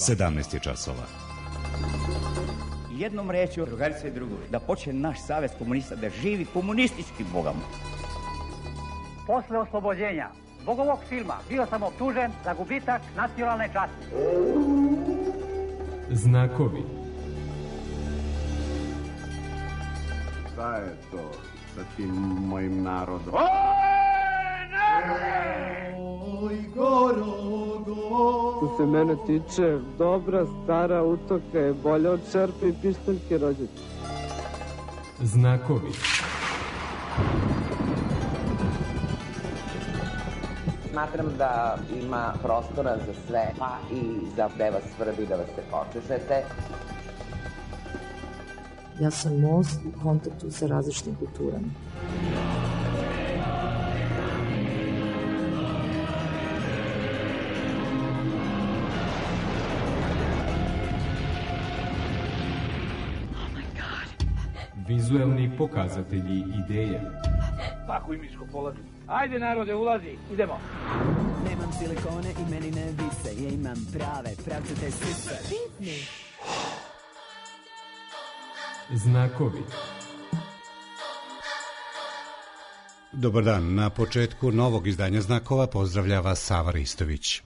17 je časova. Jednom rečju, drugarice i drugovi, da počne naš savez komunista da živi komunistički, Boga mu. Posle oslobođenja zbog ovog filma bio sam optužen za gubitak nacionalne časti. Znakovi. Šta je to sa tim mojim narodom? Oj, Gorogo. Što se mene tiče, dobra stara utoka je bolja od čerpe i pištaljke rođaka. Znakovi. Smatram da ima prostora za sve, pa i za gde vas svrbi da vas se počešete. Ja sam most u kontaktu sa različitim kulturama. Vizuelni pokazatelji ideje. Pakuj miško, polazi. Ajde narode, ulazi, idemo. Nemam silikone i meni ne vise, ja imam prave, pravcate sise. Pitni. Znakovi. Dobar dan, na početku novog izdanja Znakova pozdravljava Sava Ristović.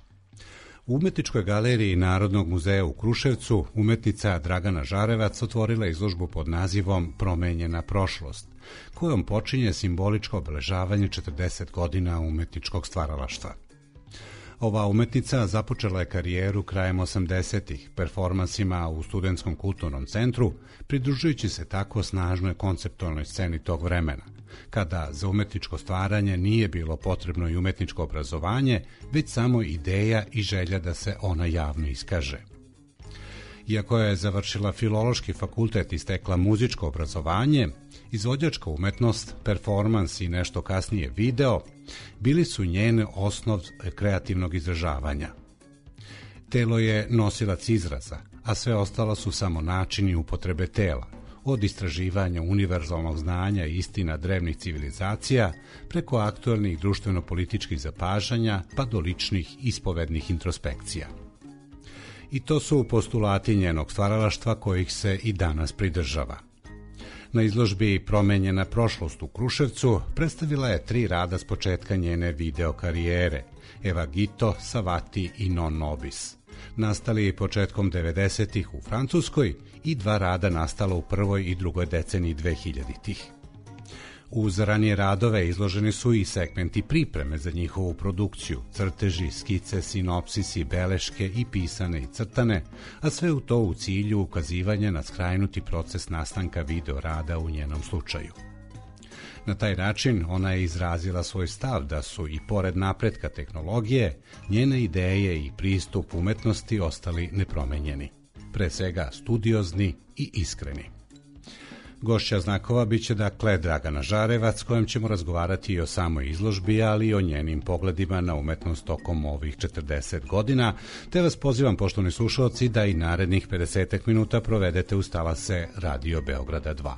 U Umetničkoj galeriji Narodnog muzeja u Kruševcu umetnica Dragana Žarevac otvorila izložbu pod nazivom Promenjena prošlost, kojom počinje simboličko obeležavanje 40 godina umetničkog stvaralaštva. Ova umetnica započela je karijeru krajem 80-ih performansima u Studentskom kulturnom centru, pridružujući se tako snažnoj konceptualnoj sceni tog vremena, kada za umetničko stvaranje nije bilo potrebno i umetničko obrazovanje, već samo ideja i želja da se ona javno iskaže. Iako je završila Filološki fakultet i stekla muzičko obrazovanje, izvođačka umetnost, performans i nešto kasnije video bili su njene osnov kreativnog izražavanja. Telo je nosilac izraza, a sve ostalo su samo načini upotrebe tela, od istraživanja univerzalnog znanja i istina drevnih civilizacija, preko aktuelnih društveno-političkih zapažanja, pa do ličnih ispovednih introspekcija. I to su postulati njenog stvaralaštva kojih se i danas pridržava. Na izložbi Promenjena prošlost u Kruševcu predstavila je 3 rada s početka njene video karijere, Evagito, Savati i Non Nobis, nastali početkom 90-ih u Francuskoj i 2 rada nastala u prvoj i drugoj deceniji 2000-ih. Uz ranije radove izloženi su i segmenti pripreme za njihovu produkciju, crteži, skice, sinopsisi, beleške i pisane i crtane, a sve u to u cilju ukazivanja na skrajnuti proces nastanka video rada u njenom slučaju. Na taj način ona je izrazila svoj stav da su i pored napretka tehnologije, njene ideje i pristup umetnosti ostali nepromenjeni, pre svega studiozni i iskreni. Gošća Znakova biće dakle Dragana Žarevac, s kojom ćemo razgovarati i o samoj izložbi, ali i o njenim pogledima na umetnost tokom ovih 40 godina, te vas pozivam, poštovani slušalci, da i narednih 50 minuta provedete uz talase Radio Beograda 2.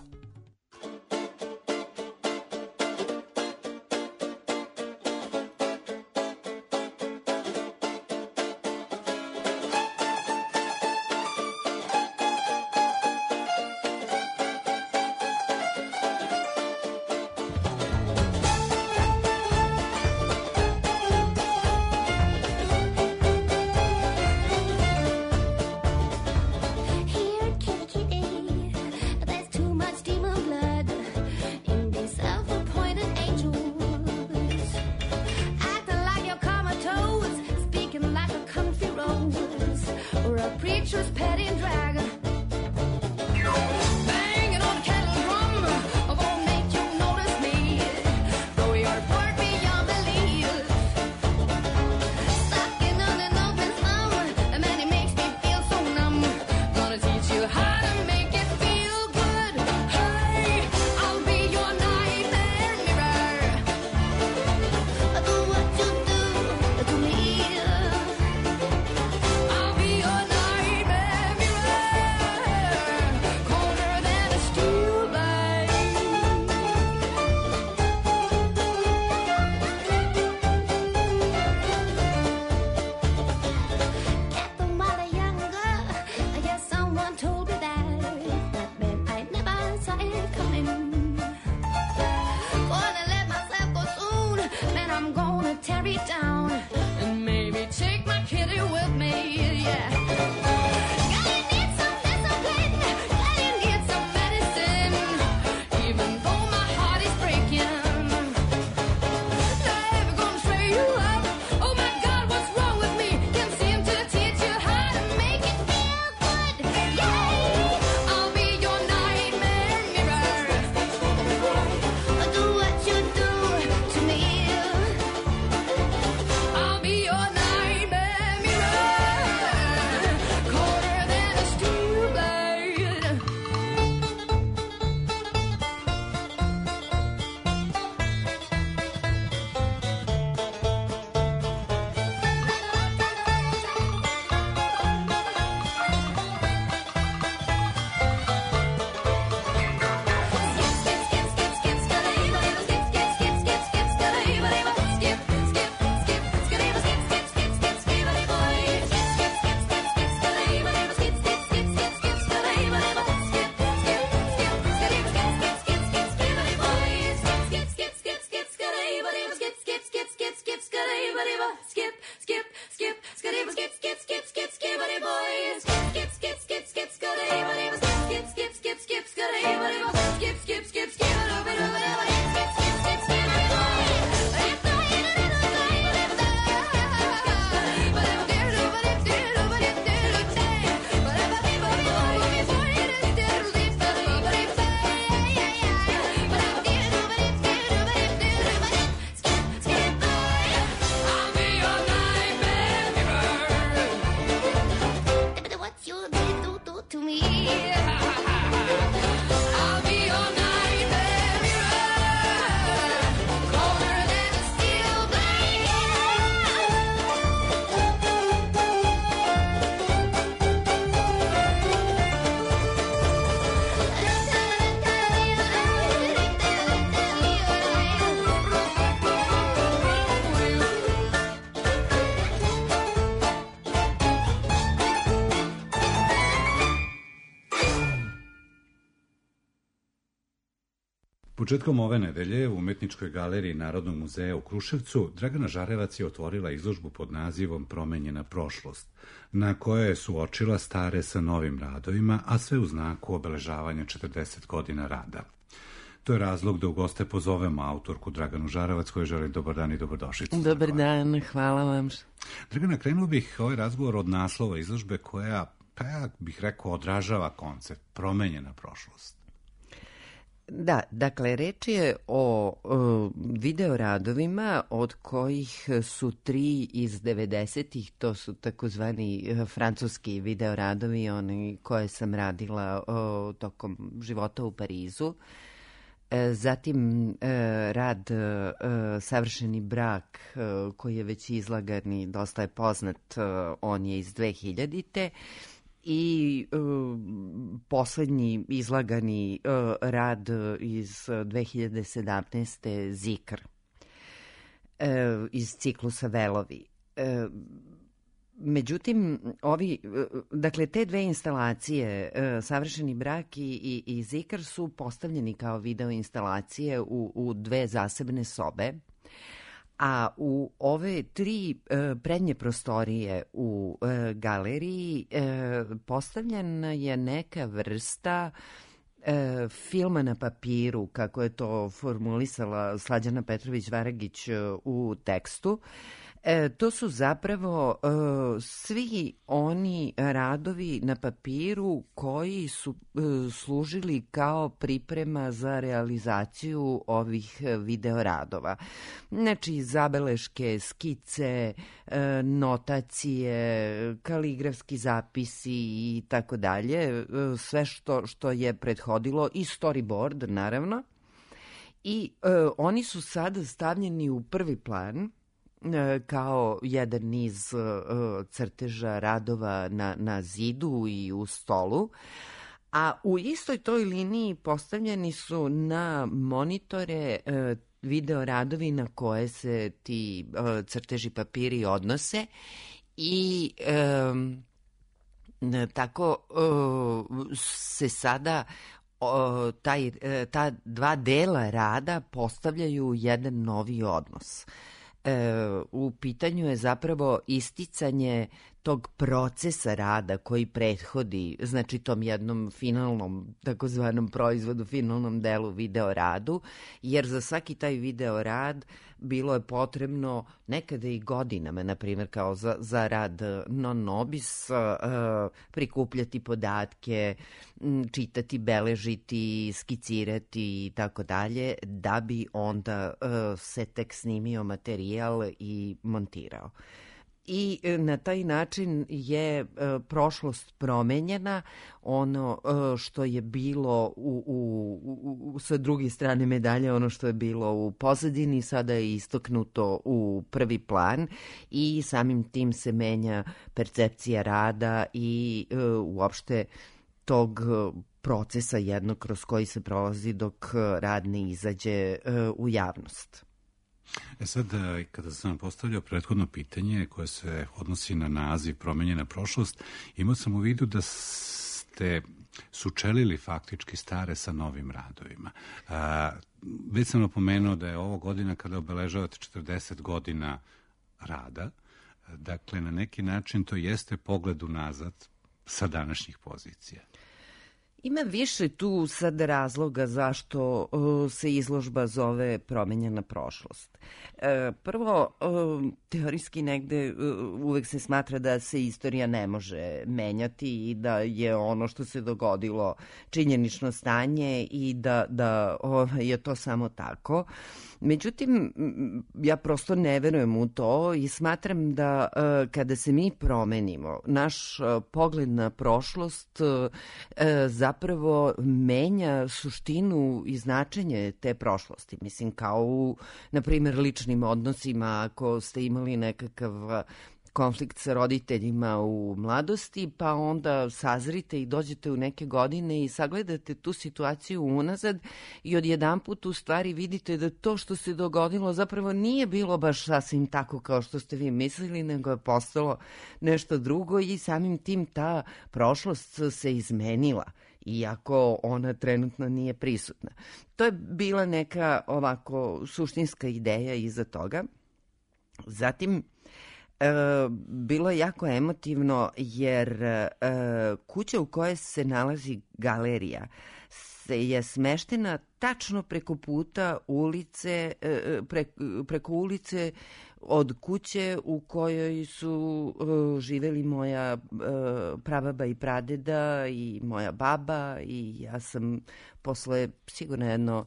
Početkom ove nedelje u Umetničkoj galeriji Narodnog muzeja u Kruševcu Dragana Žarevac je otvorila izložbu pod nazivom Promenjena prošlost, na kojoj je suočila stare sa novim radovima, a sve u znaku obeležavanja 40 godina rada. To je razlog da u goste pozovemo autorku Draganu Žarevac, kojoj želim dobar dan i dobrodošlicu. Dobar dan, hvala vam. Dragana, krenuo bih ovaj razgovor od naslova izložbe koja, pa ja bih rekao, odražava koncept Promenjena prošlost. Da, dakle, reč je o videoradovima od kojih su 3 iz 90-ih, to su takozvani francuski videoradovi, oni koje sam radila tokom života u Parizu. Zatim rad Savršeni brak, koji je već izlagan i dosta je poznat, on je iz 2000-te. I poslednji izlagani rad iz 2017. Zikr iz ciklusa Velovi. Međutim, dakle, te dve instalacije, Savršeni brak i Zikr, su postavljeni kao video instalacije u dve zasebne sobe, a u ove 3 prednje prostorije u galeriji postavljena je neka vrsta filma na papiru, kako je to formulisala Slađana Petrović-Varagić u tekstu. To su zapravo svi oni radovi na papiru koji su služili kao priprema za realizaciju ovih videoradova. Znači, zabeleške, skice, notacije, kaligrafski zapisi i tako dalje, sve što je prethodilo, i storyboard, naravno. I oni su sada stavljeni u prvi plan kao jedan niz crteža, radova na zidu i u stolu, a u istoj toj liniji postavljeni su na monitore video radovi na koje se ti crteži papiri odnose i tako se sada ta dva dela rada postavljaju jedan novi odnos. U pitanju je zapravo isticanje tog procesa rada koji prethodi, znači tom jednom finalnom, takozvanom proizvodu, finalnom delu video radu, jer za svaki taj video rad bilo je potrebno nekada i godinama, na primjer kao za rad non nobis, prikupljati podatke, čitati, beležiti, skicirati i tako dalje, da bi onda se tek snimio materijal i montirao. I na taj način je prošlost promenjena. Ono što je bilo sa druge strane medalje, ono što je bilo u pozadini, sada je istaknuto u prvi plan i samim tim se menja percepcija rada i uopšte tog procesa jednog kroz koji se prolazi dok rad ne izađe u javnost. Sad, kada sam vam postavljao prethodno pitanje koje se odnosi na naziv Promenjena prošlost, imao sam u vidu da ste sučelili faktički stare sa novim radovima. Već sam napomenuo da je ovo godina kada obeležavate 40 godina rada. Dakle, na neki način to jeste pogled unazad sa današnjih pozicija. Ima više tu sad razloga zašto se izložba zove Promenjena prošlost. Prvo, teorijski negde uvek se smatra da se istorija ne može menjati i da je ono što se dogodilo činjenično stanje i da je to samo tako. Međutim, ja prosto ne verujem u to i smatram da kada se mi promenimo, naš pogled na prošlost zapravo menja suštinu i značenje te prošlosti. Mislim, kao u, na primjer, ličnim odnosima, ako ste imali nekakav konflikt sa roditeljima u mladosti, pa onda sazrite i dođete u neke godine i sagledate tu situaciju unazad i odjedanput u stvari vidite da to što se dogodilo zapravo nije bilo baš sasvim tako kao što ste vi mislili, nego je postalo nešto drugo i samim tim ta prošlost se izmenila, iako ona trenutno nije prisutna. To je bila neka ovako suštinska ideja iza toga. Zatim, bilo je jako emotivno jer kuća u kojoj se nalazi galerija je smeštena tačno preko puta ulice, preko ulice od kuće u kojoj su živeli moja prababa i pradeda i moja baba i ja sam posle sigurno jedno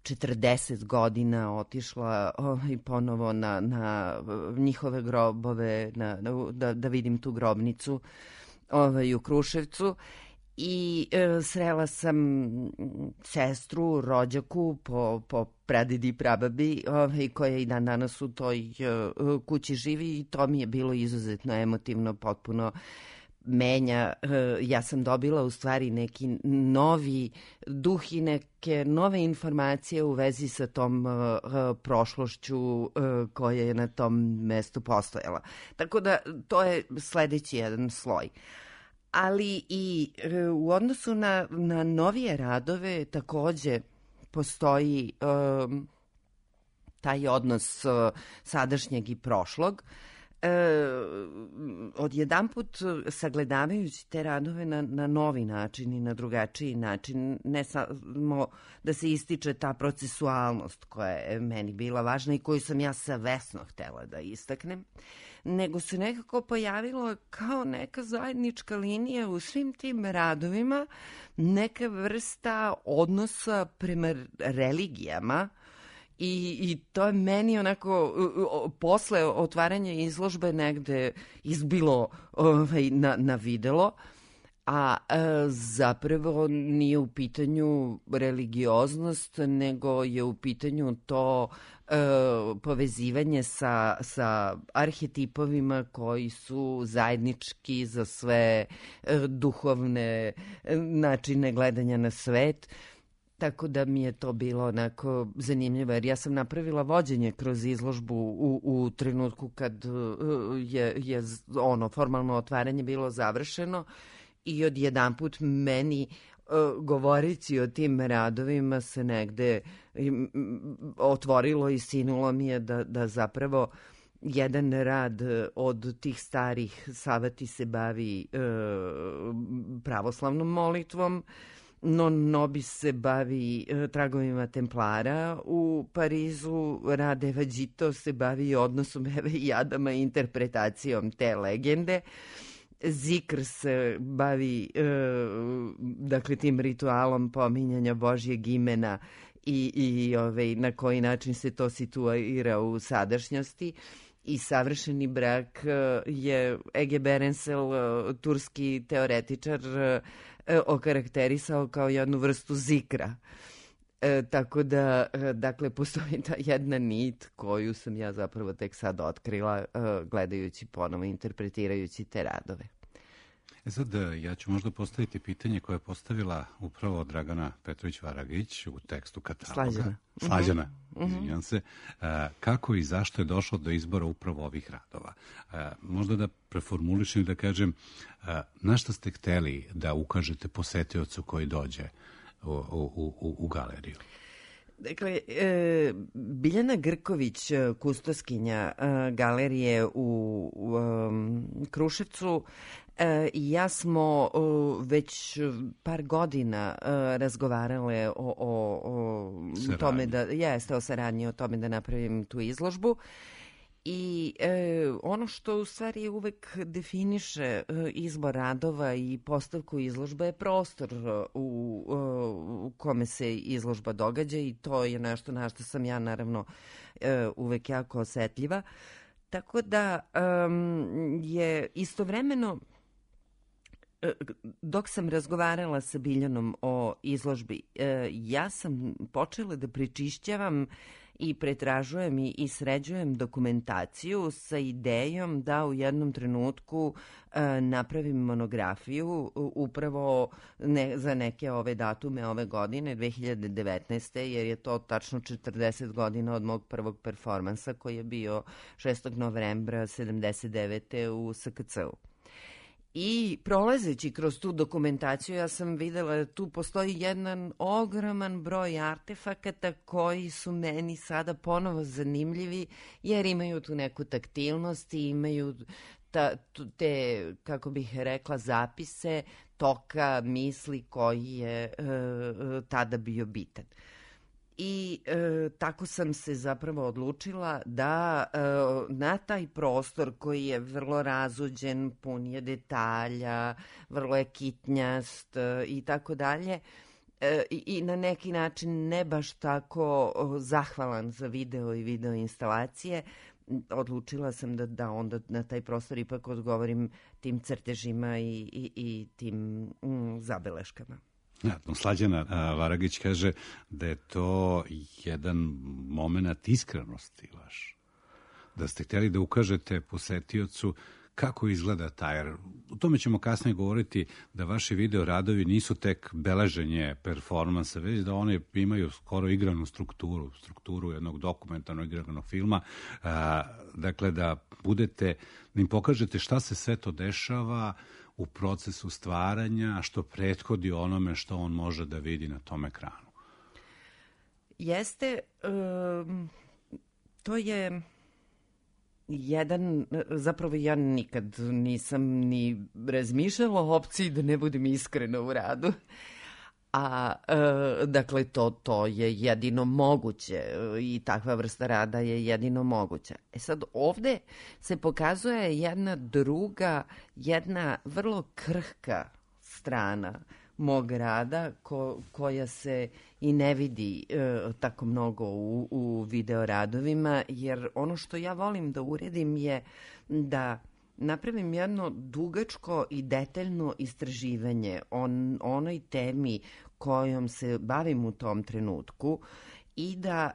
40 godina otišla ponovo na njihove grobove, da vidim tu grobnicu u Kruševcu i srela sam sestru, rođaku po pradedi i prababi koja i dan danas u toj kući živi i to mi je bilo izuzetno emotivno, potpuno menja. Ja sam dobila u stvari neki novi duh i neke nove informacije u vezi sa tom prošlošću koja je na tom mestu postojala. Tako da to je sledeći jedan sloj. Ali i u odnosu na novije radove takođe postoji taj odnos sadašnjeg i prošlog. Odjedanput sagledavajući te radove na novi način i na drugačiji način, ne samo da se ističe ta procesualnost koja je meni bila važna i koju sam ja savesno htela da istaknem, nego se nekako pojavilo kao neka zajednička linija u svim tim radovima, neka vrsta odnosa prema religijama. I to je meni onako posle otvaranja izložbe negde izbilo na videlo, a zapravo nije u pitanju religioznost, nego je u pitanju to povezivanje sa arhetipovima koji su zajednički za sve duhovne načine gledanja na svet. Tako da mi je to bilo onako zanimljivo, jer ja sam napravila vođenje kroz izložbu u trenutku kad je ono formalno otvaranje bilo završeno i odjedanput meni govoreći o tim radovima se negde otvorilo i sinulo mi je da zapravo jedan rad od tih starih Savati se bavi pravoslavnom molitvom, Nobi se bavi tragovima Templara u Parizu, Rade Vagito se bavi odnosom Eve i Adama i interpretacijom te legende. Zikr se bavi dakle tim ritualom pominjanja Božjeg imena i na koji način se to situira u sadašnjosti. I Savršeni brak je Ege Berensel, turski teoretičar, okarakterisao kao jednu vrstu zikra. Tako da, dakle, postoji ta jedna nit koju sam ja zapravo tek sad otkrila gledajući ponovo, interpretirajući te radove. Sad, ja ću možda postaviti pitanje koje je postavila upravo Dragana Petrović-Varagić u tekstu kataloga. Slađana. Izvinjam se. Kako i zašto je došlo do izbora upravo ovih radova? Možda da preformulišem i da kažem, na šta ste hteli da ukažete posetiocu koji dođe u galeriju? Dakle, Biljana Grković, kustoskinja galerije u Kruševcu, Ja smo već par godina razgovarale o tome da jeste o saradnji, o tome da napravim tu izložbu. I ono što u stvari uvek definiše izbor radova i postavku izložbe je prostor u kome se izložba događa i to je nešto na što sam ja naravno uvek jako osetljiva. Tako da je istovremeno, dok sam razgovarala sa Biljanom o izložbi, ja sam počela da prečišćavam i pretražujem i sređujem dokumentaciju sa idejom da u jednom trenutku napravim monografiju upravo za neke ove datume ove godine, 2019. jer je to tačno 40 godina od mog prvog performansa koji je bio 6. novembra 79. u SKC-u. I prolazeći kroz tu dokumentaciju ja sam videla da tu postoji jedan ogroman broj artefakata koji su meni sada ponovo zanimljivi jer imaju tu neku taktilnost i imaju te, kako bih rekla, zapise toka misli koji je tada bio bitan. I tako sam se zapravo odlučila da na taj prostor koji je vrlo razuđen, pun je detalja, vrlo je kitnjast i tako dalje, i na neki način ne baš tako zahvalan za video i video instalacije, odlučila sam da onda na taj prostor ipak odgovorim tim crtežima i tim zabeleškama. Slađana Varagić kaže da je to jedan moment iskrenosti vaš. Da ste htjeli da ukažete posetiocu kako izgleda taj. O tome ćemo kasnije govoriti da vaši video radovi nisu tek beleženje performansa, već da one imaju skoro igranu strukturu jednog dokumentarnog igranog filma. Dakle, da im pokažete šta se sve to dešava u procesu stvaranja, što prethodi onome što on može da vidi na tom ekranu. Jeste, to je zapravo ja nikad nisam ni razmišljala o opciji da ne budem iskrena u radu. Dakle, to je jedino moguće i takva vrsta rada je jedino moguća. Sad, ovde se pokazuje jedna vrlo krhka strana mog rada koja se i ne vidi tako mnogo u video radovima, jer ono što ja volim da uredim je da napravim jedno dugačko i detaljno istraživanje o onoj temi kojom se bavim u tom trenutku i da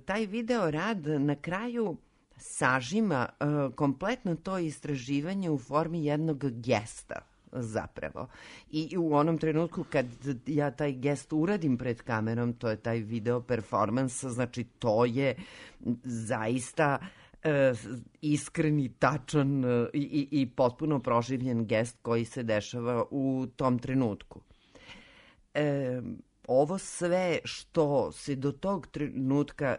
taj video rad na kraju sažima kompletno to istraživanje u formi jednog gesta zapravo. I u onom trenutku kad ja taj gest uradim pred kamerom, to je taj video performans, znači to je zaista iskreni, tačan i potpuno proživljen gest koji se dešava u tom trenutku. Ovo sve što se do tog trenutka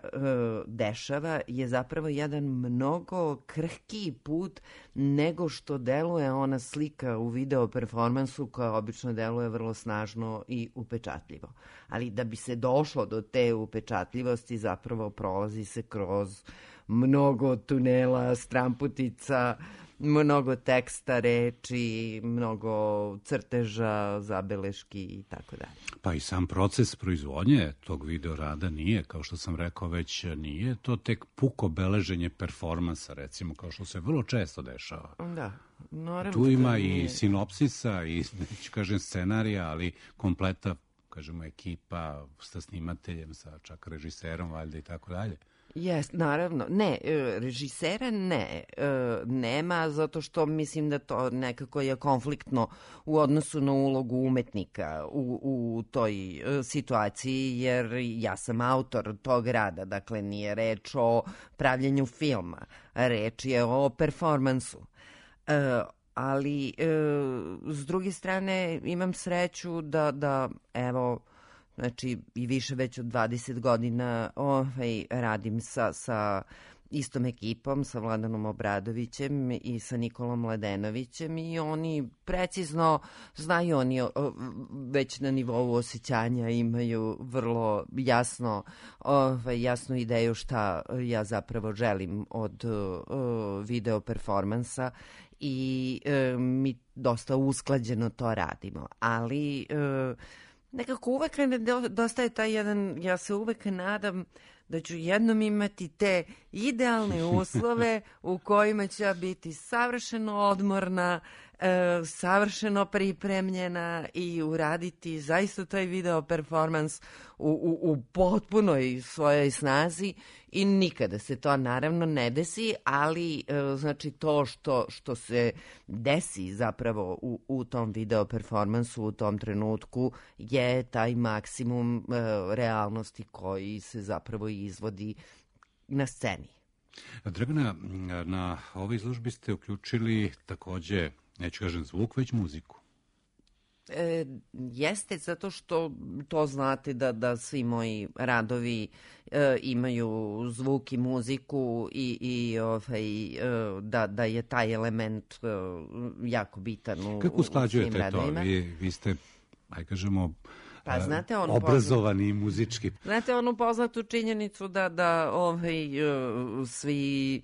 dešava je zapravo jedan mnogo krhkiji put nego što deluje ona slika u video performansu koja obično deluje vrlo snažno i upečatljivo. Ali da bi se došlo do te upečatljivosti zapravo prolazi se kroz mnogo tunela, stramputica, mnogo teksta, reči, mnogo crteža, zabeleški i tako dalje. Pa i sam proces proizvodnje tog video rada nije, kao što sam rekao već, nije to tek puko beleženje performansa, recimo, kao što se vrlo često dešava. Da, naravno. Tu ima i sinopsisa i, neću kažem, scenarija, ali kompleta, kažemo, ekipa sa snimateljem, sa čak režiserom, valjda i tako dalje. Jes, naravno. Ne, režisera nema, zato što mislim da to nekako je konfliktno u odnosu na ulogu umetnika u toj situaciji, jer ja sam autor tog rada, dakle nije reč o pravljenju filma, reč je o performansu. Ali s druge strane imam sreću da evo, znači i više već od 20 godina radim sa istom ekipom, sa Vladanom Obradovićem i sa Nikolom Ledenovićem, i oni precizno znaju, oni već na nivou osjećanja imaju vrlo jasnu ideju šta ja zapravo želim od video performansa i mi dosta usklađeno to radimo, ali nekako uvek nedostaje taj jedan, ja se uvek nadam da ću jednom imati te idealne uslove u kojima ću ja biti savršeno odmorna, savršeno pripremljena i uraditi zaista taj video performans u potpunoj svojoj snazi, i nikada se to naravno ne desi, ali znači to što se desi zapravo u tom video performansu u tom trenutku je taj maksimum realnosti koji se zapravo izvodi na sceni. Dragana, na ovoj izložbi ste uključili takođe, neću kažem zvuk, već muziku. Jeste, zato što to znate da svi moji radovi imaju zvuk i muziku i da je taj element jako bitan u svim radovima. Kako usklađujete to? Vi ste, aj kažemo, pa, znate, obrazovani muzički. Znate onu poznatu činjenicu da svi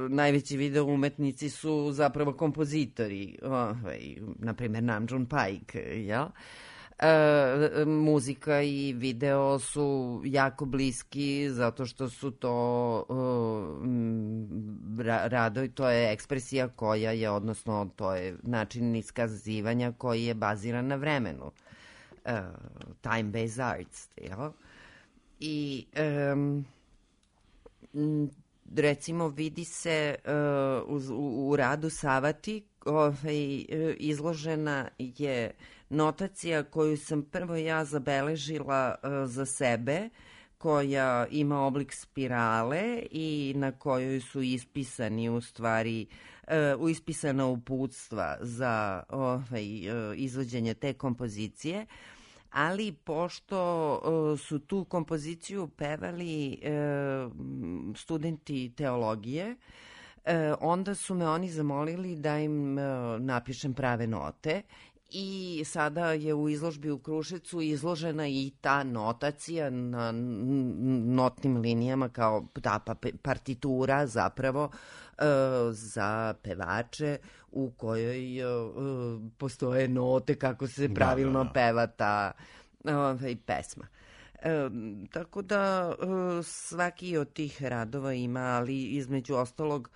najveći video umetnici su zapravo kompozitori, na primjer Nam June Paik, jel? Muzika i video su jako bliski zato što su to radovi, to je ekspresija koja je, odnosno to je način iskazivanja koji je baziran na vremenu. Time-based arts, jel? I recimo vidi se u radu Savati izložena je notacija koju sam prvo ja zabeležila za sebe, koja ima oblik spirale i na kojoj su ispisani u stvari ispisana uputstva za izvođenje te kompozicije, ali pošto su tu kompoziciju pevali studenti teologije, onda su me oni zamolili da im napišem prave note, i sada je u izložbi u Kruševcu izložena i ta notacija na notnim linijama kao ta partitura zapravo za pevače u kojoj postoje note kako se pravilno peva ta pesma. Tako da svaki od tih radova ima, ali između ostalog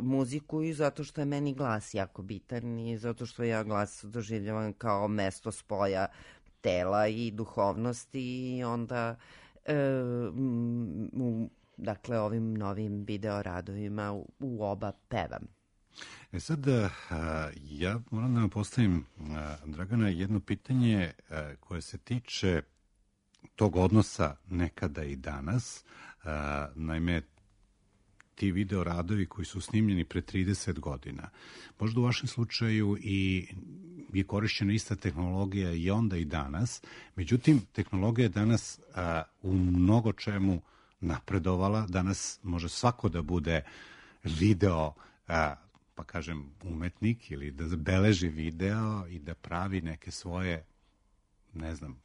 muziku, i zato što je meni glas jako bitan i zato što ja glas doživljavam kao mesto spoja tela i duhovnosti, i onda dakle ovim novim video radovima u oba pevam. Sad, ja moram da vam postavim, Dragana, jedno pitanje koje se tiče tog odnosa nekada i danas. Naime, ti video radovi koji su snimljeni pre 30 godina. Možda u vašem slučaju i je korišćena ista tehnologija i onda i danas, međutim, tehnologija je danas u mnogo čemu napredovala. Danas može svako da bude video, pa kažem, umetnik, ili da beleži video i da pravi neke svoje, ne znam,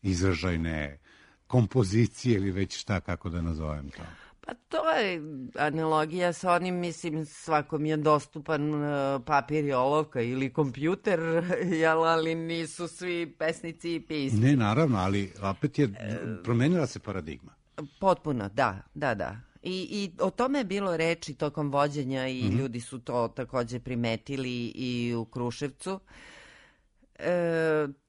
izražajne kompozicije ili već šta, kako da nazovem to. Pa to je analogija sa onim, mislim, svakom je dostupan papir i olovka ili kompjuter, ali nisu svi pesnici i pisci. Ne, naravno, ali opet je promenila se paradigma. Potpuno, da. I o tome je bilo reči tokom vođenja i ljudi su to takođe primetili i u Kruševcu.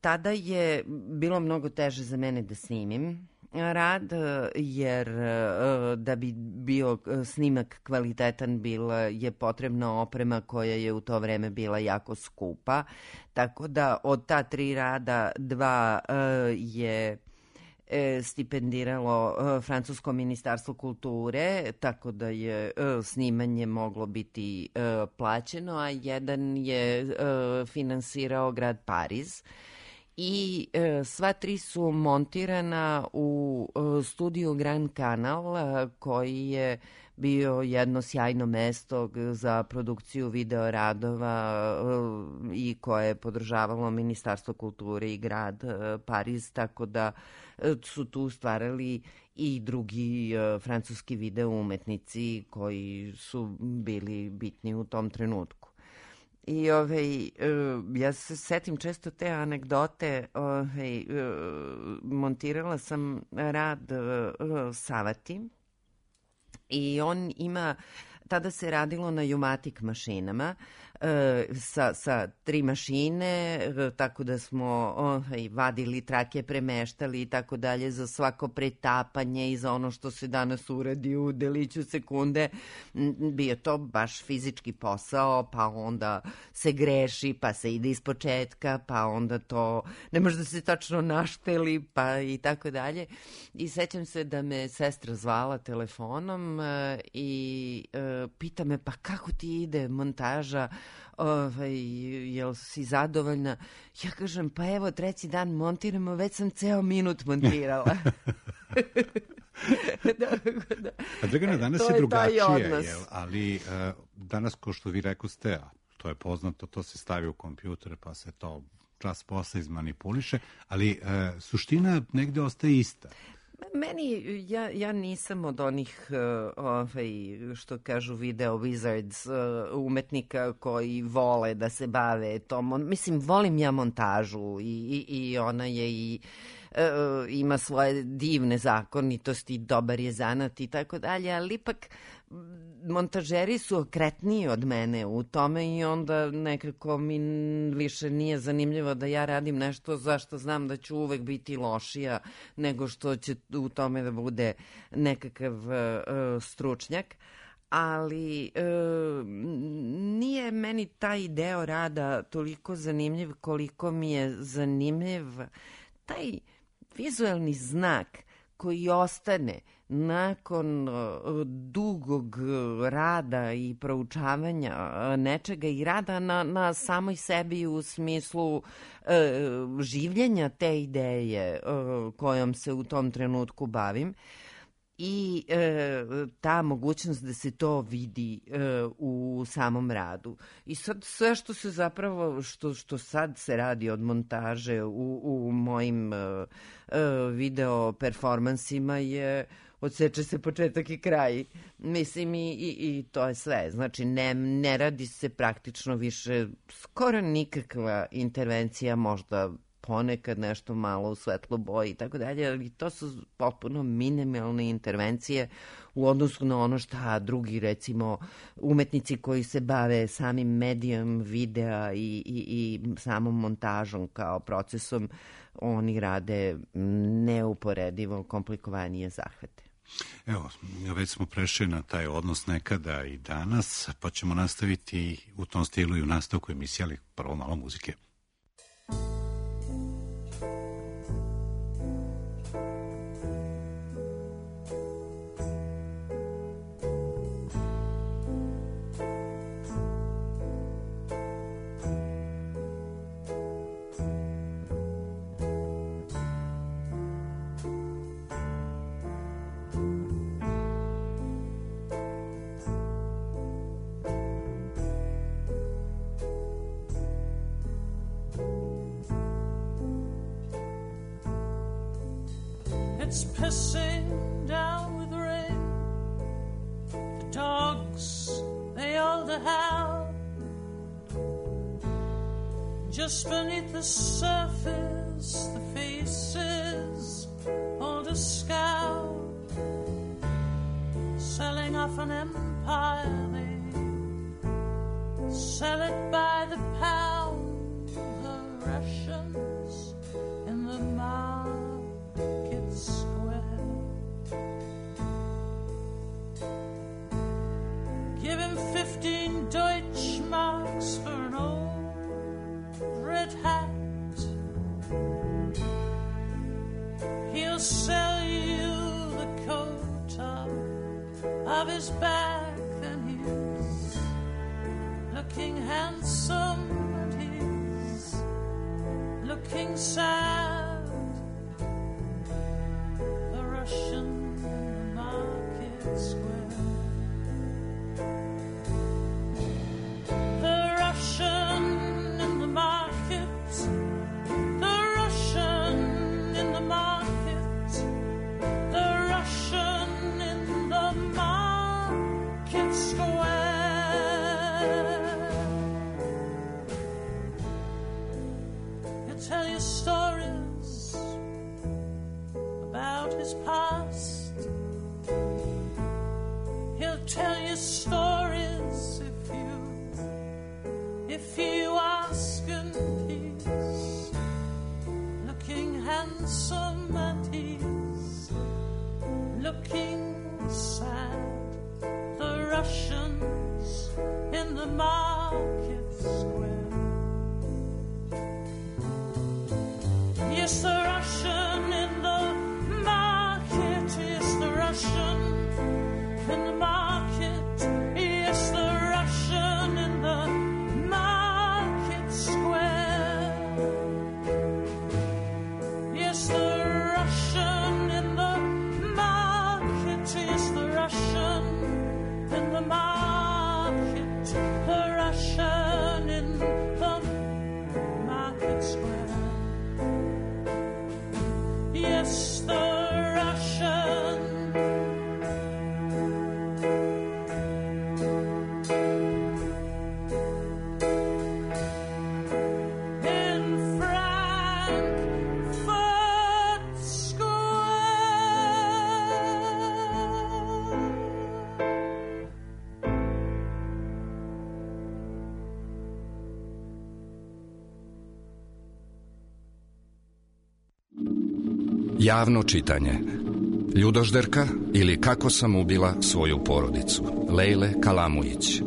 Tada je bilo mnogo teže za mene da snimim rad, jer da bi bio snimak kvalitetan je potrebna oprema koja je u to vreme bila jako skupa, tako da od ta 3 rada 2 je stipendiralo Francusko ministarstvo kulture, tako da je snimanje moglo biti plaćeno, a jedan je finansirao grad Pariz. I sva tri su montirana u studiju Grand Canal, koji je bio jedno sjajno mesto za produkciju video radova i koje je podržavalo Ministarstvo kulture i grad Pariz, tako da su tu stvarali i drugi francuski video umetnici koji su bili bitni u tom trenutku. I ja se setim često te anegdote. Montirala sam rad Savati i on ima, tada se radilo na Jumatic mašinama, sa 3 mašine, tako da smo vadili trake, premeštali i tako dalje za svako pretapanje i za ono što se danas uradi u deliću sekunde. Bio to baš fizički posao, pa onda se greši, pa se ide iz početka, pa onda to ne može da se tačno našteli, pa i tako dalje. I sećam se da me sestra zvala telefonom i pita me, pa kako ti ide montaža, jel si zadovoljna? Ja kažem, pa evo, 3. dan montiramo, već sam ceo minut montirala. A Dragana, danas je drugačije, ali danas, ko što vi rekoste, a to je poznato, to se stavi u kompjuter, pa se to čas posle izmanipuliše, ali suština negde ostaje ista. Meni, ja nisam od onih, što kažu video wizards, umetnika koji vole da se bave tom. Mislim, volim ja montažu i ona je i ima svoje divne zakonitosti, dobar je zanat i tako dalje, ali ipak montažeri su okretniji od mene u tome i onda nekako mi više nije zanimljivo da ja radim nešto zašto znam da ću uvek biti lošija nego što će u tome da bude nekakav stručnjak. Ali nije meni taj deo rada toliko zanimljiv koliko mi je zanimljiv taj vizuelni znak koji ostane nakon dugog rada i proučavanja nečega i rada na samoj sebi u smislu življenja te ideje kojom se u tom trenutku bavim. I ta mogućnost da se to vidi u samom radu. I sad sve što se zapravo, što sad se radi od montaže u mojim video performansima je odseče se početak i kraj. Mislim i to je sve. Znači ne radi se praktično više skoro nikakva intervencija, možda ponekad nešto malo u svetlo boji i tako dalje, ali to su potpuno minimalne intervencije u odnosu na ono šta drugi, recimo, umetnici koji se bave samim medijom videa i samom montažom kao procesom, oni rade neuporedivo komplikovanije zahvate. Evo, već smo prešli na taj odnos nekada i danas, pa ćemo nastaviti u tom stilu i u nastavku emisije, ali prvo malo muzike. It's pissing down with rain. The dogs, they all howl. Just beneath the surface, the faces all to scowl. Selling off an empire, they sell it by the pound. The Russians in the market square. Give him 15 Deutschmarks for an old red hat. He'll sell you the coat of his back, and he's looking handsome, and he's looking looking sad. The Russian in the market square. The Russian in the market. The Russian in the market. The Russian in the market square. Tell you stories about his past. He'll tell you stories if you ask, and he's looking handsome and he's looking sad. The Russians in the market square. Yes, the Russian in the market. Yes, the Russian in the market. Yes, the Russian in the market square. Yes, the Russian in the market. Yes, the Russian in the market. The Russian in the market square. Yes, the Russian. In Frankfurt Square. Javno čitanje. Ljudožderka ili Kako sam ubila svoju porodicu. Lejle Kalamujić.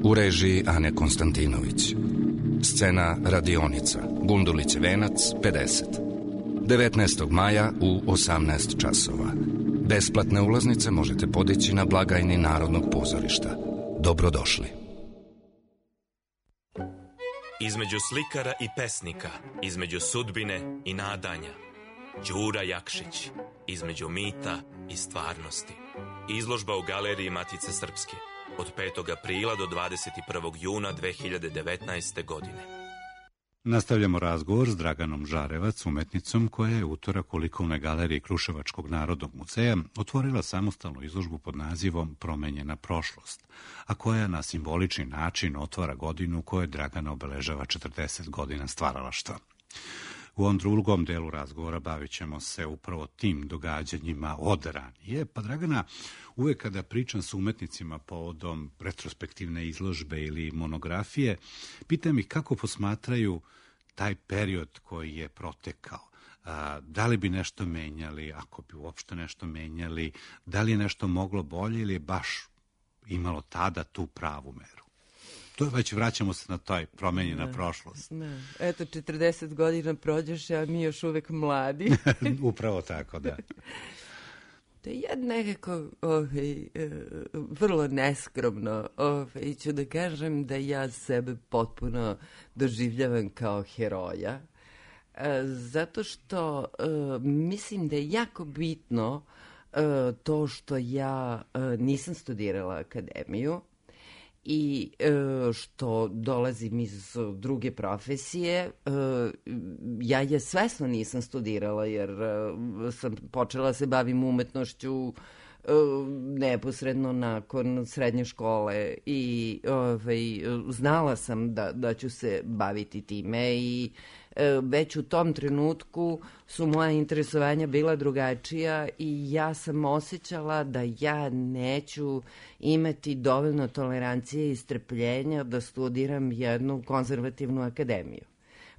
U režiji Ane Konstantinović. Scena radionica. Gundulić Venac, 50. 19. maja u 18 časova. Besplatne ulaznice možete podići na blagajni Narodnog pozorišta. Dobrodošli. Između slikara i pesnika, između sudbine i nadanja. Đura Jakšić, između mita i stvarnosti. Izložba u Galeriji Matice Srpske od 5. aprila do 21. juna 2019. godine. Nastavljamo razgovor s Draganom Žarevac, umetnicom koja je utorak u likovnoj galeriji Kruševačkog narodnog muzeja otvorila samostalnu izložbu pod nazivom Promenjena prošlost, a koja na simbolični način otvara godinu kojoj Dragana obeležava 40 godina stvaralaštva. U ovom drugom delu razgovora bavit ćemo se upravo tim događanjima od ranije. Pa Dragana, uvek kada pričam s umetnicima povodom retrospektivne izložbe ili monografije, pitam ih kako posmatraju taj period koji je protekao. Da li bi nešto menjali, ako bi uopšte nešto menjali, da li je nešto moglo bolje ili je baš imalo tada tu pravu meru? To već vraćamo se na toj promenjena prošlost. Ne. Eto, 40 godina prođeš, a mi još uvek mladi. Upravo tako, da. Da ja nekako vrlo neskromno ću da kažem da ja sebe potpuno doživljavam kao heroja. Zato što mislim da je jako bitno to što ja nisam studirala akademiju, i što dolazim iz druge profesije. Ja je svesno nisam studirala jer sam počela se bavim umetnošću neposredno nakon srednje škole i znala sam da ću se baviti time i već u tom trenutku su moja interesovanja bila drugačija i ja sam osjećala da ja neću imati dovoljno tolerancije i strpljenja da studiram jednu konzervativnu akademiju.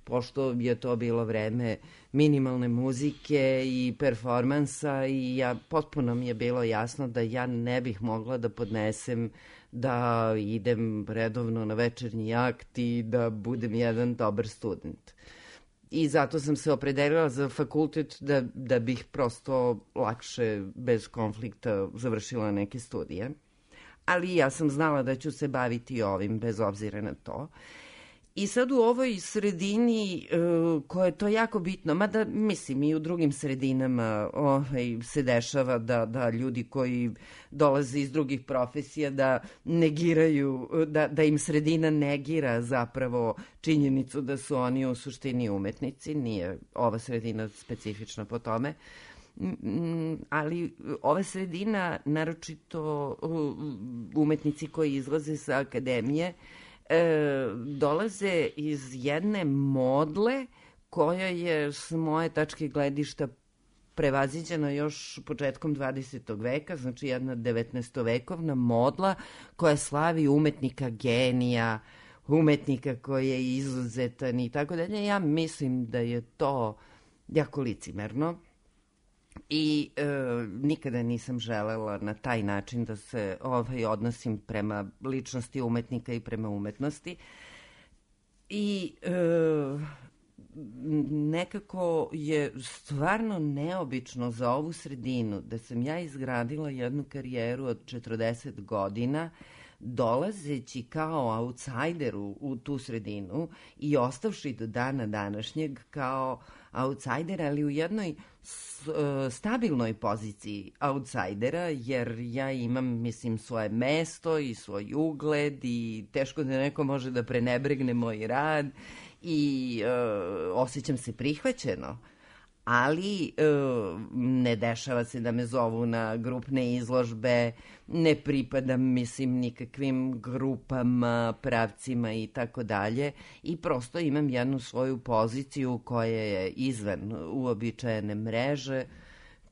Pošto je to bilo vreme minimalne muzike i performansa i potpuno mi je bilo jasno da ja ne bih mogla da podnesem da idem redovno na večernji akt i da budem jedan dobar student. I zato sam se opredelila za fakultet da bih prosto lakše, bez konflikta, završila neke studije. Ali ja sam znala da ću se baviti ovim bez obzira na to. I sad u ovoj sredini koja je to jako bitno, mada mislim i u drugim sredinama se dešava da ljudi koji dolaze iz drugih profesija da negiraju, da im sredina negira zapravo činjenicu da su oni u suštini umetnici, nije ova sredina specifična po tome. Ali ova sredina, naročito umetnici koji izlaze sa akademije, dolaze iz jedne modle koja je s moje tačke gledišta prevaziđena još početkom 20. veka, znači jedna 19-vekovna modla koja slavi umetnika genija, umetnika koji je izuzetan i tako dalje. Ja mislim da je to jako licimerno. I nikada nisam želela na taj način da se odnosim prema ličnosti umetnika i prema umetnosti. I nekako je stvarno neobično za ovu sredinu da sam ja izgradila jednu karijeru od 40 godina dolazeći kao outsider u tu sredinu i ostavši do dana današnjeg kao outsider, ali u jednoj stabilnoj poziciji outsidera, jer ja imam, mislim, svoje mesto i svoj ugled i teško da neko može da prenebregne moj rad i osjećam se prihvaćeno. Ali ne dešava se da me zovu na grupne izložbe, ne pripadam, mislim, nikakvim grupama, pravcima i tako dalje i prosto imam jednu svoju poziciju koja je izvan uobičajene mreže,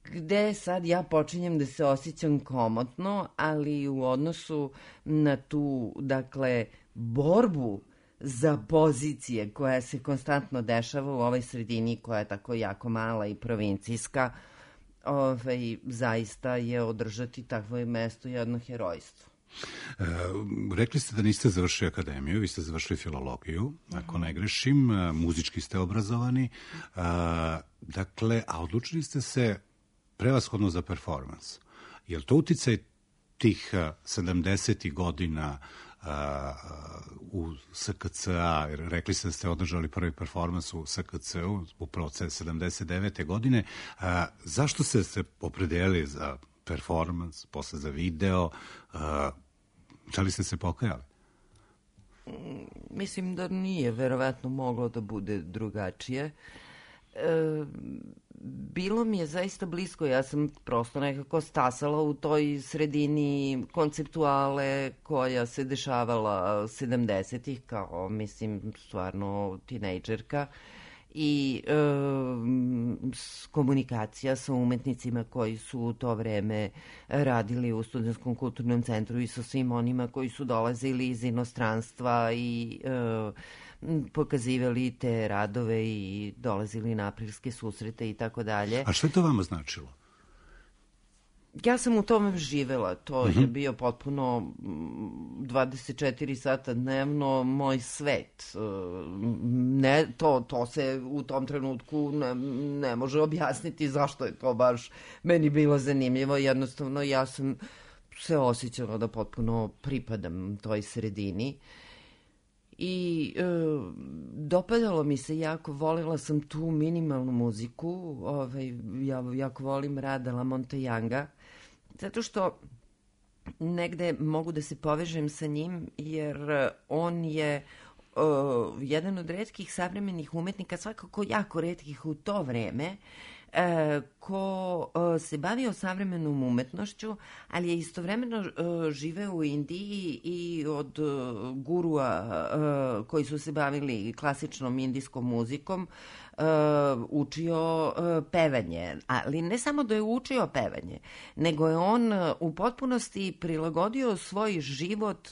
gde sad ja počinjem da se osjećam komotno, ali u odnosu na tu, dakle, borbu za pozicije koja se konstantno dešava u ovoj sredini koja je tako jako mala i provincijska, zaista je održati takvo mesto jedno herojstvo. Rekli ste da niste završili akademiju, vi ste završili filologiju, ako ne grešim, muzički ste obrazovani, dakle, a odlučili ste se prevashodno za performans. Je li to uticaj tih 70. godina u SKC-a, rekli ste da ste održali prvi performans u SKC-u, upravo 79. godine. Zašto ste se opredelili za performans, posle za video? Da li ste se pokajali? Mislim da nije verovatno moglo da bude drugačije. Bilo mi je zaista blisko, ja sam prosto nekako stasala u toj sredini konceptuale koja se dešavala 70-ih kao, mislim, stvarno tinejdžerka i komunikacija sa umetnicima koji su u to vreme radili u Studentskom kulturnom centru i sa svim onima koji su dolazili iz inostranstva i pokazivali te radove i dolazili na aprilske susrete i tako dalje. A što je to vama značilo? Ja sam u tome živela. To je bio potpuno 24 sata dnevno moj svet. Ne, to se u tom trenutku ne može objasniti zašto je to baš meni bilo zanimljivo. Jednostavno ja sam se osjećala da potpuno pripadam toj sredini. I dopadalo mi se jako, volila sam tu minimalnu muziku, ja jako volim rad Lamonte Younga, zato što negde mogu da se povežem sa njim, jer on je jedan od retkih savremenih umetnika, svakako jako retkih u to vreme, ko se bavio savremenom umetnošću, ali je istovremeno živeo u Indiji i od gurua koji su se bavili klasičnom indijskom muzikom učio pevanje. Ali ne samo da je učio pevanje, nego je on u potpunosti prilagodio svoj život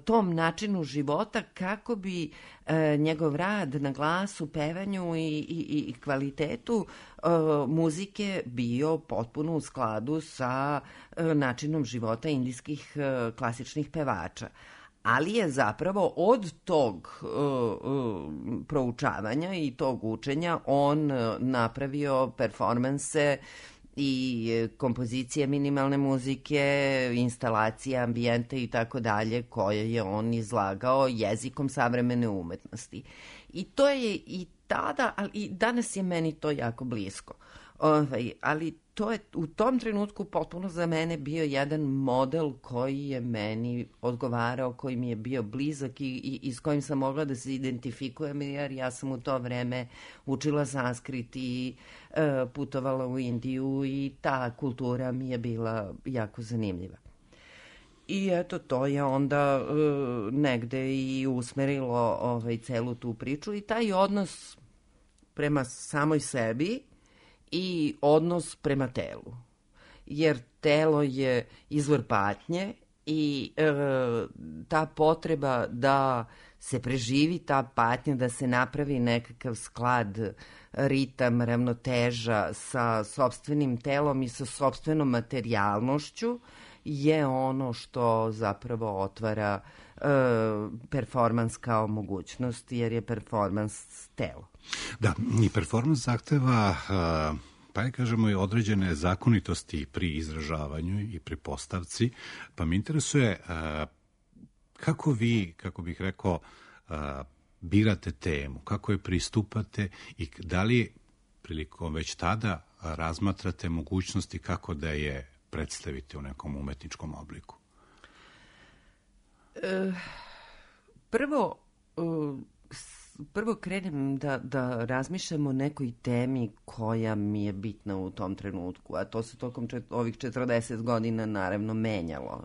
tom načinu života kako bi njegov rad na glasu, pevanju i kvalitetu muzike bio potpuno u skladu sa načinom života indijskih klasičnih pevača. Ali je zapravo od tog proučavanja i tog učenja on napravio performanse i kompozicija minimalne muzike, instalacija, ambijente i tako dalje, koje je on izlagao jezikom savremene umetnosti. I to je i tada, ali i danas je meni to jako blisko. Ali to je u tom trenutku potpuno za mene bio jedan model koji je meni odgovarao, koji mi je bio blizak i s kojim sam mogla da se identifikujem, jer ja sam u to vreme učila sanskrit i putovala u Indiju i ta kultura mi je bila jako zanimljiva. I eto, to je onda negde i usmerilo celu tu priču i taj odnos prema samoj sebi i odnos prema telu. Jer telo je izvor patnje i ta potreba da se preživi ta patnja, da se napravi nekakav sklad, ritam, ravnoteža sa sopstvenim telom i sa sopstvenom materijalnošću je ono što zapravo otvara performans kao mogućnost, jer je performans telo. Da, i performans zahteva, pa kažemo, i određene zakonitosti pri izražavanju i pri postavci, pa me interesuje kako vi, kako bih rekao, birate temu, kako je pristupate i da li prilikom već tada razmatrate mogućnosti kako da je predstavite u nekom umetničkom obliku? Prvo krenem da razmišljam o nekoj temi koja mi je bitna u tom trenutku, a to se tokom ovih 40 godina naravno menjalo.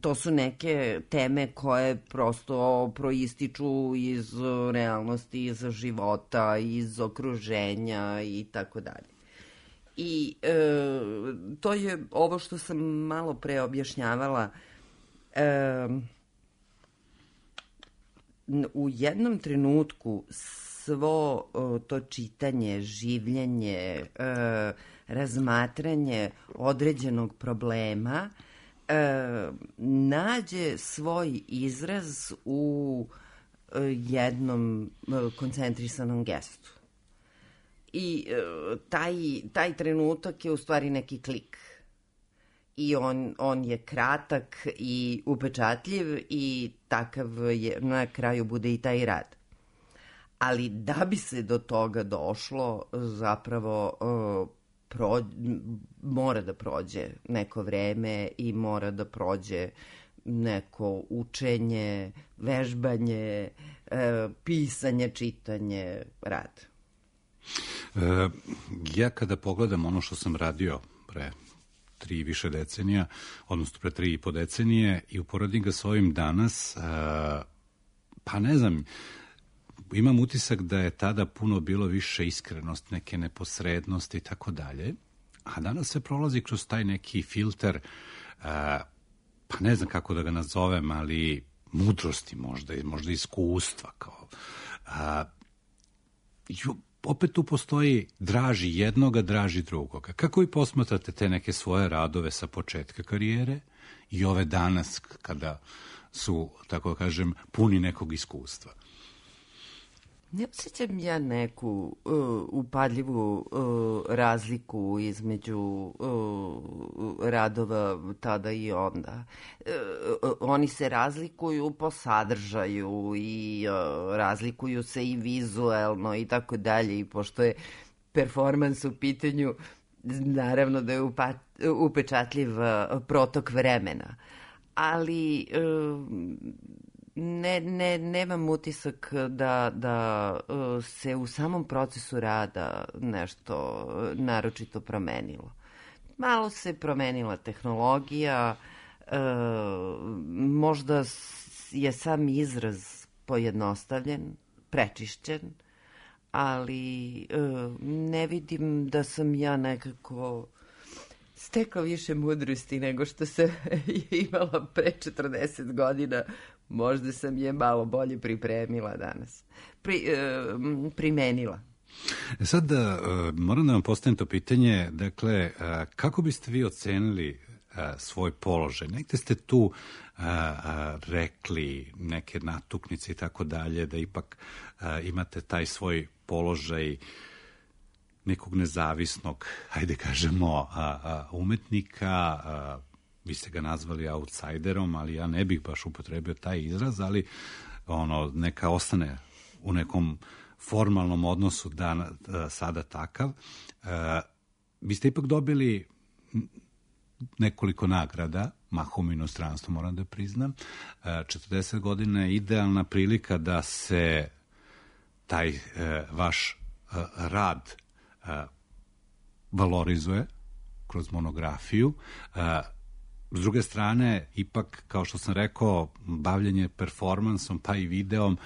To su neke teme koje prosto proističu iz realnosti, iz života, iz okruženja i tako dalje. I to je ovo što sam malo pre objašnjavala. U jednom trenutku svo to čitanje, življenje, razmatranje određenog problema nađe svoj izraz u jednom koncentrisanom gestu. I taj trenutak je u stvari neki klik. I on je kratak i upečatljiv i takav je, na kraju bude i taj rad. Ali da bi se do toga došlo, zapravo mora da prođe neko vreme i mora da prođe neko učenje, vežbanje, pisanje, čitanje, rad. Ja kada pogledam ono što sam radio pre 3 i više decenija, odnosno pre 3,5 decenije i uporedim ga s ovim danas, pa ne znam, imam utisak da je tada puno bilo više iskrenost, neke neposrednosti i tako dalje, a danas se prolazi kroz taj neki filter, pa ne znam kako da ga nazovem, ali mudrosti možda iskustva. Opet tu postoji draži jednoga, draži drugoga. Kako vi posmatrate te neke svoje radove sa početka karijere i ove danas kada su, tako kažem, puni nekog iskustva? Ne osjećam ja neku upadljivu razliku između radova tada i onda. Oni se razlikuju po sadržaju i razlikuju se i vizuelno i tako dalje. I pošto je performans u pitanju, naravno da je upečatljiv protok vremena. Ali nemam utisak da se u samom procesu rada nešto naročito promenilo. Malo se promenila tehnologija, možda je sam izraz pojednostavljen, prečišćen, ali ne vidim da sam ja nekako stekao više mudrosti nego što sam imala pre 40 godina. Možda sam je malo bolje pripremila danas. Primenila. Sad moram da vam postavim to pitanje, dakle, kako biste vi ocenili svoj položaj? Negde ste tu rekli neke natuknice i tako dalje, da ipak imate taj svoj položaj nekog nezavisnog, hajde kažemo, umetnika, vi ste ga nazvali outsiderom, ali ja ne bih baš upotrebio taj izraz, ali neka ostane u nekom formalnom odnosu sada takav. Vi ste ipak dobili nekoliko nagrada, mahom u inostranstvu, moram da priznam. 40 godina je idealna prilika da se taj vaš rad valorizuje kroz monografiju. S druge strane, ipak, kao što sam rekao, bavljenje performansom pa i videom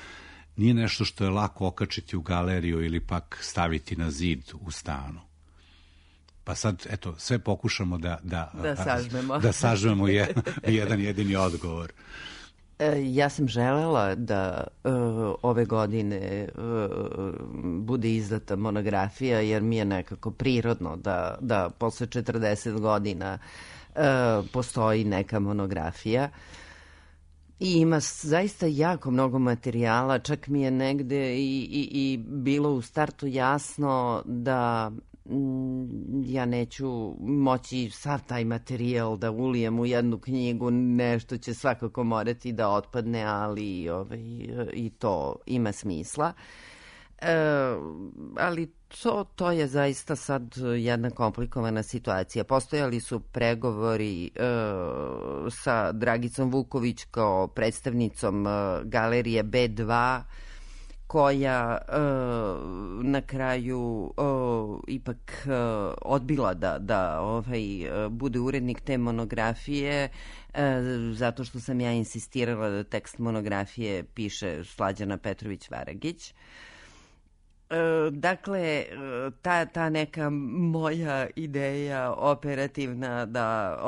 nije nešto što je lako okačiti u galeriju ili pak staviti na zid u stanu. Pa sad, eto, sve pokušamo da sažmemo jedan jedini odgovor. Ja sam želela da ove godine bude izdata monografija, jer mi je nekako prirodno da posle 40 godina postoji neka monografija. I ima zaista jako mnogo materijala, čak mi je negde i bilo u startu jasno da ja neću moći sav taj materijal da ulijem u jednu knjigu, nešto će svakako morati da otpadne, ali i to ima smisla. Ali to je zaista sad jedna komplikovana situacija. Postojali su pregovori sa Dragicom Vuković kao predstavnicom galerije B2, koja na kraju ipak odbila da bude urednik te monografije, zato što sam ja insistirala da tekst monografije piše Slađana Petrović-Varagić. Dakle, ta neka moja ideja operativna da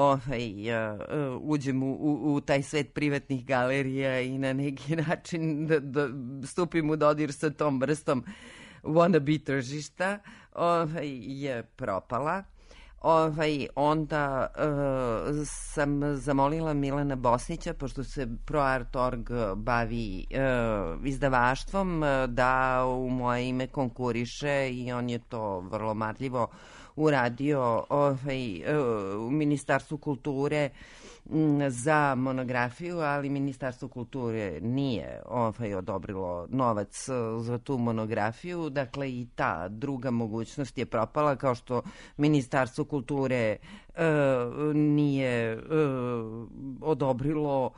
uđem u taj svet privatnih galerija i na neki način da stupim u dodir sa tom vrstom wannabe tržišta je propala. Onda sam zamolila Milana Bosnića, pošto se ProArt.org bavi izdavaštvom, da u moje ime konkuriše, i on je to vrlo marljivo uradio u Ministarstvu kulture za monografiju, ali Ministarstvo kulture nije odobrilo novac za tu monografiju. Dakle, i ta druga mogućnost je propala, kao što Ministarstvo kulture nije odobrilo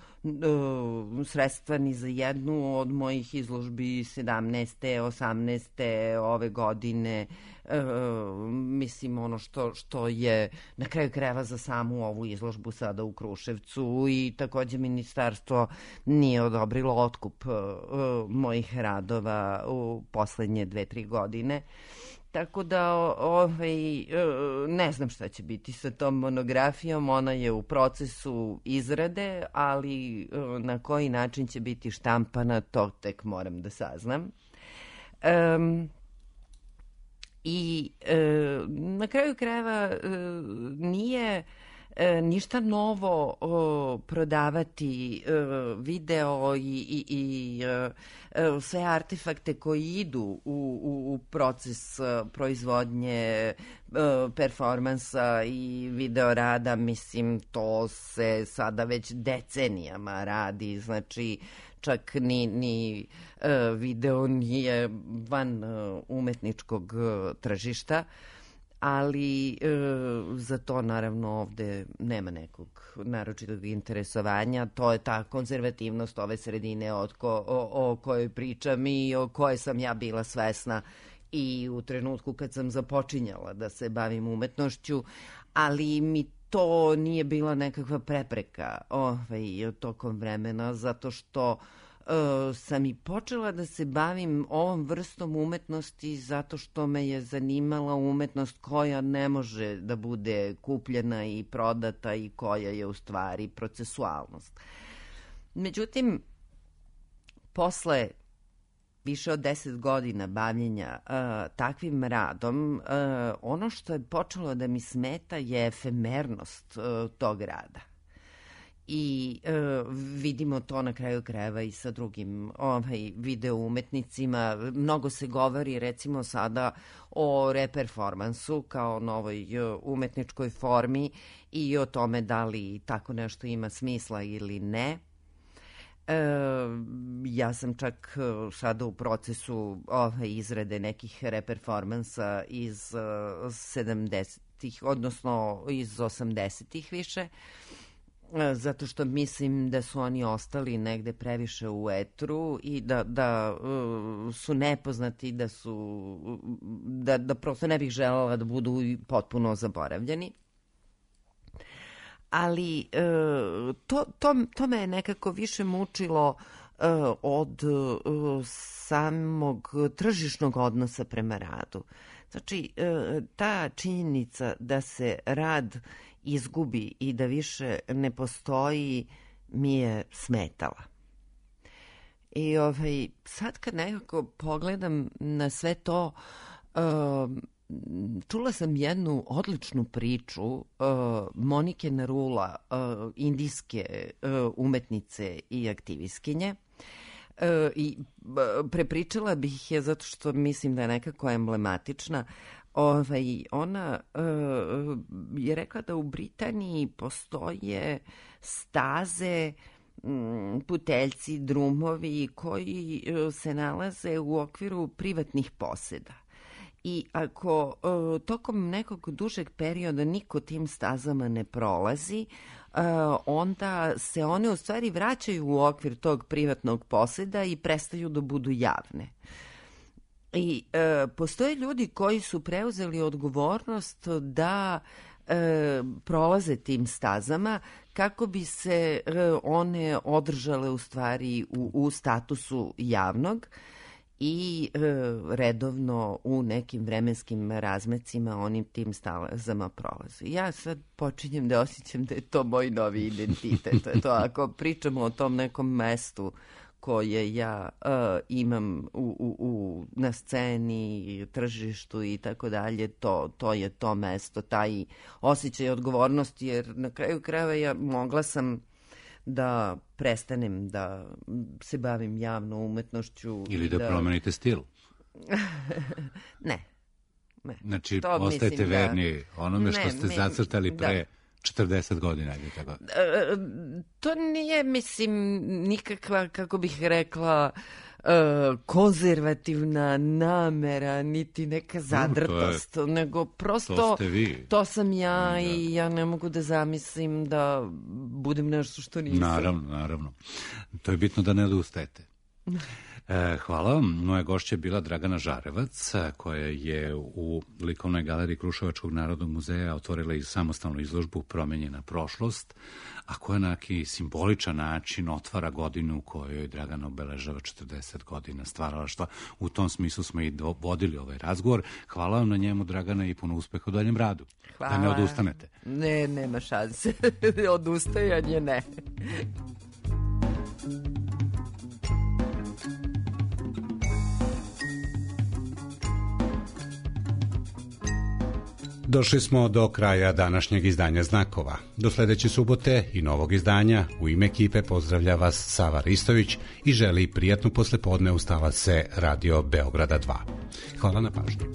sredstva ni za jednu od mojih izložbi 17. 18. ove godine. Mislim, ono što je na kraju krajeva za samu ovu izložbu sada u Kruševcu, i takođe ministarstvo nije odobrilo otkup mojih radova u poslednje 2-3 godine. Tako da ne znam šta će biti sa tom monografijom, ona je u procesu izrade, ali na koji način će biti štampana, to tek moram da saznam. I na kraju krajeva nije ništa novo prodavati video i sve artefakte koji idu u proces proizvodnje performansa i videorada. Mislim, to se sada već decenijama radi, znači čak ni video nije van umetničkog tržišta, ali za to naravno ovde nema nekog naročitog interesovanja. To je ta konzervativnost ove sredine o kojoj pričam i o kojoj sam ja bila svesna i u trenutku kad sam započinjala da se bavim umetnošću, ali mi to nije bila nekakva prepreka tokom vremena, zato što sam i počela da se bavim ovom vrstom umetnosti zato što me je zanimala umetnost koja ne može da bude kupljena i prodata i koja je u stvari procesualnost. Međutim, posle više od 10 godina bavljenja takvim radom, ono što je počelo da mi smeta je efemernost tog rada. i vidimo to na kraju krajeva i sa drugim video umetnicima. Mnogo se govori recimo sada o reperformansu kao novoj umetničkoj formi i o tome da li tako nešto ima smisla ili ne. Ja sam čak sada u procesu izrade nekih reperformansa iz 70-ih, odnosno iz 80-ih više, zato što mislim da su oni ostali negde previše u etru i da su nepoznati, da prosto ne bih želela da budu potpuno zaboravljeni. Ali to me je nekako više mučilo od samog tržišnog odnosa prema radu. Znači, ta činjenica da se rad izgubi i da više ne postoji mi je smetala. I sad kad nekako pogledam na sve to, čula sam jednu odličnu priču Monike Narula, indijske umetnice i aktivistkinje. I prepričala bih je zato što mislim da je nekako emblematična. Ona je rekla da u Britaniji postoje staze, puteljci, drumovi koji se nalaze u okviru privatnih poseda. I ako tokom nekog dužeg perioda niko tim stazama ne prolazi, onda se one u stvari vraćaju u okvir tog privatnog poseda i prestaju da budu javne. I postoje ljudi koji su preuzeli odgovornost da prolaze tim stazama kako bi se one održale u stvari u statusu javnog i redovno u nekim vremenskim razmecima onim tim stazama prolaze. Ja sad počinjem da osjećam da je to moj novi identitet. To je to, ako pričamo o tom nekom mestu koje ja imam na sceni, tržištu i tako dalje, to je to mesto, taj osjećaj odgovornosti, jer na kraju krajeva mogla sam da prestanem da se bavim javno umetnošću. Ili da promenite stil. Ne. Znači, ostajete verni onome što ste zacrtali pre 40 godina ili tako? To nije, mislim, nikakva, kako bih rekla, konzervativna namera, niti neka zadrtost, nego prosto to sam ja i ja ne mogu da zamislim da budem nešto što nisam. Naravno. To je bitno da ne odustajete. Hvala vam. Moja gošća je bila Dragana Žarevac, koja je u likovnoj galeriji Kruševačkog narodnog muzeja otvorila i samostalnu izložbu Promenjena prošlost, a koja na neki simboličan način otvara godinu u kojoj Dragana obeležava 40 godina stvaralaštva. U tom smislu smo i vodili ovaj razgovor. Hvala vam na njemu, Dragana, i puno uspeha u daljem radu. Hvala. Da ne odustanete. Ne, nema šanse. Odustajanje ne. Došli smo do kraja današnjeg izdanja Znakova. Do sledeće subote i novog izdanja u ime ekipe pozdravlja vas Sava Ristović i želi prijatnu poslepodne. Ustala se Radio Beograda 2. Hvala na pažnju.